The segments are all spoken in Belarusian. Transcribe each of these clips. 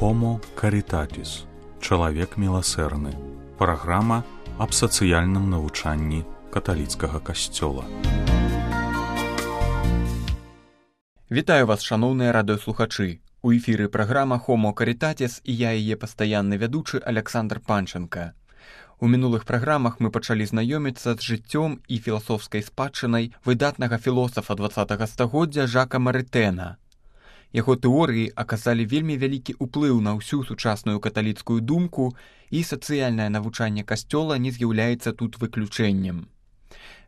Homo Caritatis. Чалавек міласэрны. Праграма аб сацыяльным навучанні каталіцкага касцёла. Вітаю вас, шаноўныя радыёслухачы. У эфіры праграма Homo Caritatis і я яе пастаянны вядучы Александр Панченка. У мінулых праграмах мы пачалі знаёміцца з жыццём і філасофскай спадчынай выдатнага філосафа 20-го стагоддзя Жака Марытэна. Яго тэорыі аказалі вельмі вялікі ўплыў на ўсю сучасную каталіцкую думку, і сацыяльнае навучанне касцёла не з'яўляецца тут выключэннем.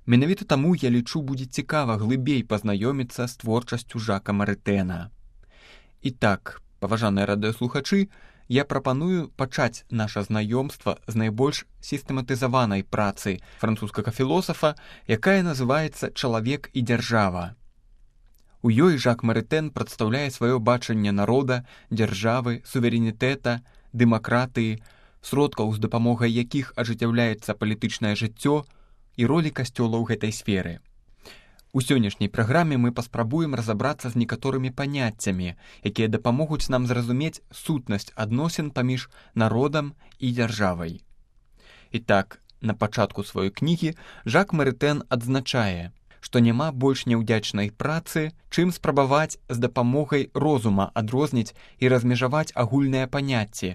Менавіта таму, я лічу, будзе цікава глыбей пазнаёміцца з творчасцю Жака Марытэна. І так, паважаныя радыёслухачы, я прапаную пачаць наша знаёмства з найбольш сістэматызаванай працы французскага філосафа, якая называецца «Чалавек і дзяржава». У ёй Жак Марытэн прадстаўляе сваё бачанне народа, дзяржавы, суверэнітэта, дэмакратыі, сродкаў, з дапамогай якіх ажыццяўляецца палітычнае жыццё і ролі касцёла ў гэтай сферы. У сённяшняй праграме мы паспрабуем разабрацца з некаторымі паняццямі, якія дапамогуць нам зразумець сутнасць адносін паміж народам і дзяржавай. І так, на пачатку сваёй кнігі Жак Марытэн адзначае, што няма больш няўдзячнай працы, чым спрабаваць з дапамогай розума адрозніць і размежаваць агульныя паняцці,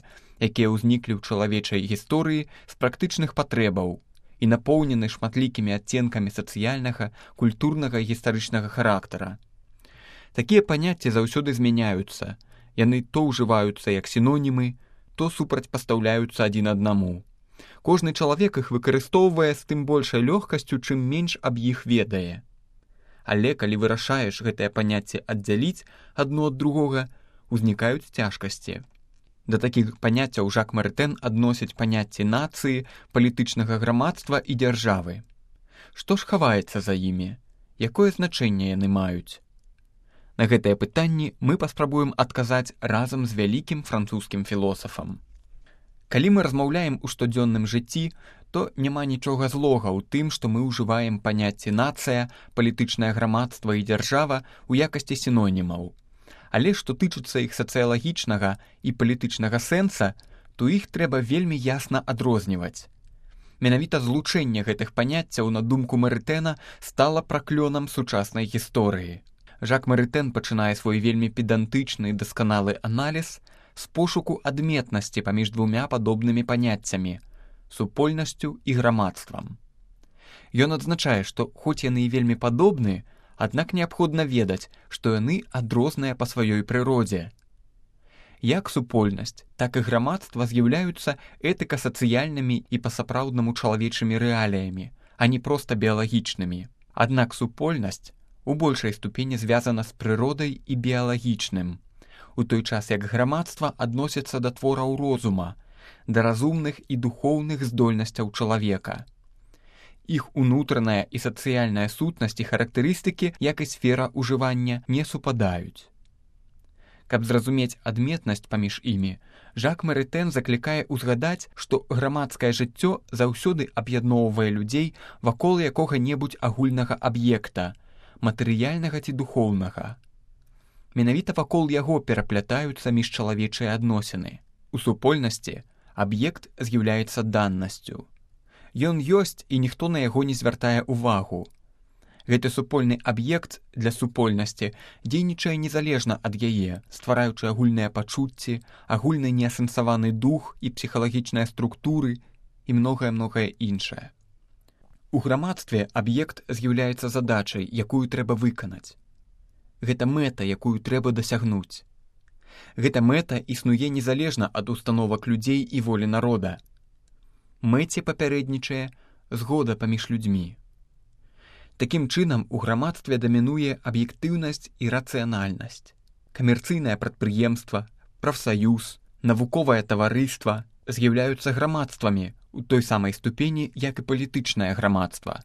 якія ўзніклі ў чалавечай гісторыі з практычных патрэбаў і напоўнены шматлікімі адценкамі сацыяльнага, культурнага і гістарычнага характара. Такія паняцці заўсёды змяняюцца, яны то ўжываюцца як сінонімы, то супрацьпастаўляюцца адзін аднаму. Кожны чалавек іх выкарыстоўвае з тым большай лёгкасцю, чым менш аб іх ведае. Але калі вырашаеш гэтае паняцце аддзяліць адно ад другога, узнікаюць цяжкасці. Да такіх паняццяў Жак Марытэн адносіць паняцці нацыі, палітычнага грамадства і дзяржавы. Што ж хаваецца за імі? Якое значэнне яны маюць? На гэтыя пытанні мы паспрабуем адказаць разам з вялікім французскім філосафам. Калі мы размаўляем у штодзённым жыцці, то няма нічога злога ў тым, што мы ўжываем паняцці нацыя, палітычнае грамадства і дзяржава ў якасці сінонімаў. Але што тычыцца іх сацыялагічнага і палітычнага сэнса, то іх трэба вельмі ясна адрозніваць. Менавіта злучэнне гэтых паняццяў, на думку Марытэна, стала праклёнам сучаснай гісторыі. Жак Марытэн пачынае свой вельмі педантычны і дасканалы аналіз з пошуку адметнасці паміж двумя падобнымі паняццямі – супольнасцю і грамадствам. Ён адзначае, што хоць яны і вельмі падобны, аднак неабходна ведаць, што яны адрозныя па сваёй прыродзе. Як супольнасць, так і грамадства з'яўляюцца этыка-сацыяльнымі і па-сапраўднаму чалавечымі рэаліямі, а не проста біялагічнымі. Аднак супольнасць у большай ступені звязана з прыродай і біялагічным, у той час як грамадства адносяцца да твораў розума, да разумных і духоўных здольнасцяў чалавека. Іх унутраная і сацыяльная сутнасць і характарыстыкі, як і сфера ўжывання, не супадаюць. Каб зразумець адметнасць паміж імі, Жак Марытэн заклікае ўзгадаць, што грамадскае жыццё заўсёды аб'ядноўвае людзей вакол якога-небудзь агульнага аб'екта, матэрыяльнага ці духоўнага. Менавіта вакол яго пераплятаюцца міжчалавечыя адносіны. У супольнасці аб'ект з'яўляецца даннасцю. Ён ёсць, і ніхто на яго не звяртае ўвагу. Гэты супольны аб'ект для супольнасці дзейнічае незалежна ад яе, ствараючы агульныя пачуцці, агульны неасэнсаваны дух і псіхалагічныя структуры і многае-многае іншае. У грамадстве аб'ект з'яўляецца задачай, якую трэба выканаць. Гэта мэта, якую трэба дасягнуць. Гэта мэта існуе незалежна ад установак людзей і волі народа. Мэце папярэднічае згода паміж людзьмі. Такім чынам, у грамадстве дамінуе аб'ектыўнасць і рацыянальнасць. Камерцыйнае прадпрыемства, прафсаюз, навуковае таварыства з'яўляюцца грамадствамі у той самай ступені, як і палітычнае грамадства.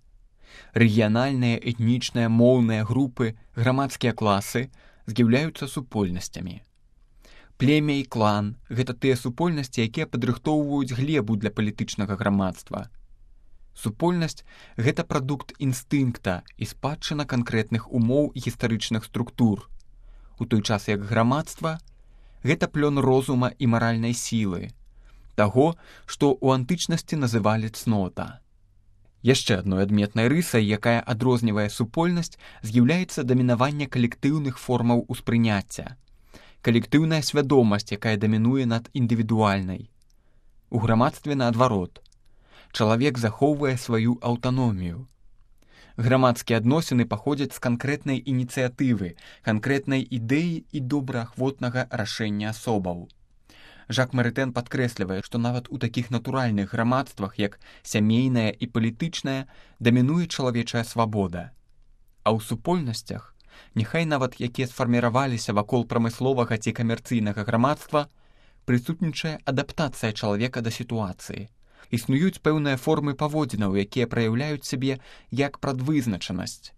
Рэгіянальныя, этнічныя, моўныя групы, грамадскія класы з'яўляюцца супольнасцямі. Племя і клан – гэта тыя супольнасці, якія падрыхтоўваюць глебу для палітычнага грамадства. Супольнасць – гэта прадукт інстынкта і спадчына канкрэтных умоў і гістарычных структур, у той час як грамадства – гэта плён розума і маральнай сілы, таго, што ў антычнасці называлі цнота. Яшчэ адной адметнай рысай, якая адрознівае супольнасць, з'яўляецца дамінаванне калектыўных формаў успрыняцця. Калектыўная свядомасць, якая дамінуе над індывідуальнай. У грамадстве наадварот. Чалавек захоўвае сваю аўтаномію. Грамадскія адносіны паходзяць з канкрэтнай ініцыятывы, канкрэтнай ідэі і добраахвотнага рашэння асобаў. Жак Марытэн падкрэслівае, што нават у такіх натуральных грамадствах, як сямейная і палітычная, дамінуе чалавечая свабода. А ў супольнасцях, няхай нават якія сфарміраваліся вакол прамысловага ці камерцыйнага грамадства, прысутнічае адаптацыя чалавека да сітуацыі. Існуюць пэўныя формы паводзінаў, якія праяўляюць сябе як прадвызначанасць.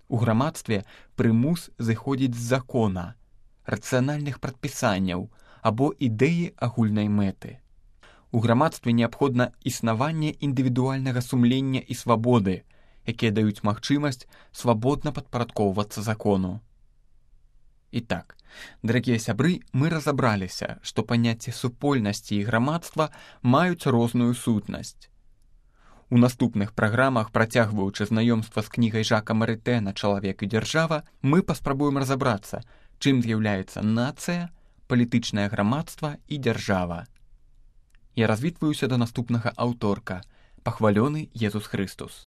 У грамадстве прымус зыходзіць з закона, рацыянальных прадпісанняў або ідэі агульнай мэты. У грамадстве неабходна існаванне індывідуальнага сумлення і свабоды, якія даюць магчымасць свабодна падпарадкоўвацца закону. І так, дарагія сябры, мы разабраліся, што паняцці супольнасці і грамадства маюць розную сутнасць. У наступных праграмах, працягваючы знаёмства з кнігай Жака Марытэна «Чалавек і дзяржава», мы паспрабуем разабрацца, чым з'яўляецца нацыя, палітычнае грамадства і дзяржава. Я развітваюся да наступнага аўторка. Пахвалёны Езус Хрыстус.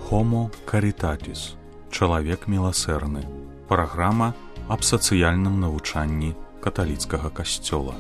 Homo Caritatis. Чалавек міласэрны. Праграма аб сацыяльным навучанні каталіцкага касцёла.